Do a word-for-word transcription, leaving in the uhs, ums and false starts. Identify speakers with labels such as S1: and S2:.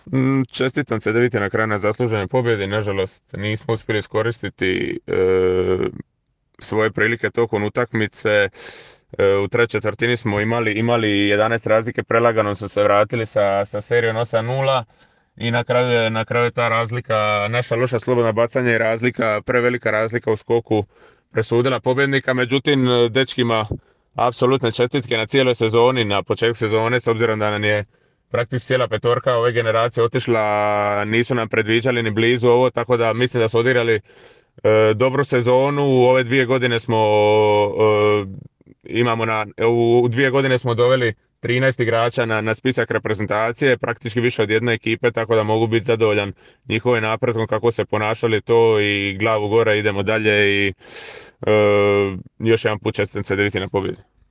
S1: Mm, Čestitam C D Viti na kraju na zasluženoj pobjedi. Nažalost, nismo uspjeli iskoristiti e, svoje prilike tokom utakmice. E, u trećoj četvrtini smo imali, imali jedanaest razlike, prelagano su se vratili sa, sa serijom osam nula i na kraju je, na kraju je ta razlika, naša loša slobodna bacanja i razlika, prevelika razlika u skoku presudila pobjednika. Međutim, dečkima apsolutne čestitke na cijeloj sezoni, na početku sezone, s obzirom da nam je praktički cijela petorka ove generacije otišla, nisu nam predviđali ni blizu ovo, tako da mislim da su odigrali e, dobru sezonu. U ove dvije godine smo e, imamo na, u dvije godine smo doveli trinaest igrača na, na spisak reprezentacije, praktički više od jedne ekipe, tako da mogu biti zadovoljan njihovim napretkom kako se ponašali to i glavu gore idemo dalje i e, još jedan put čestitam C D Viti na pobjedi.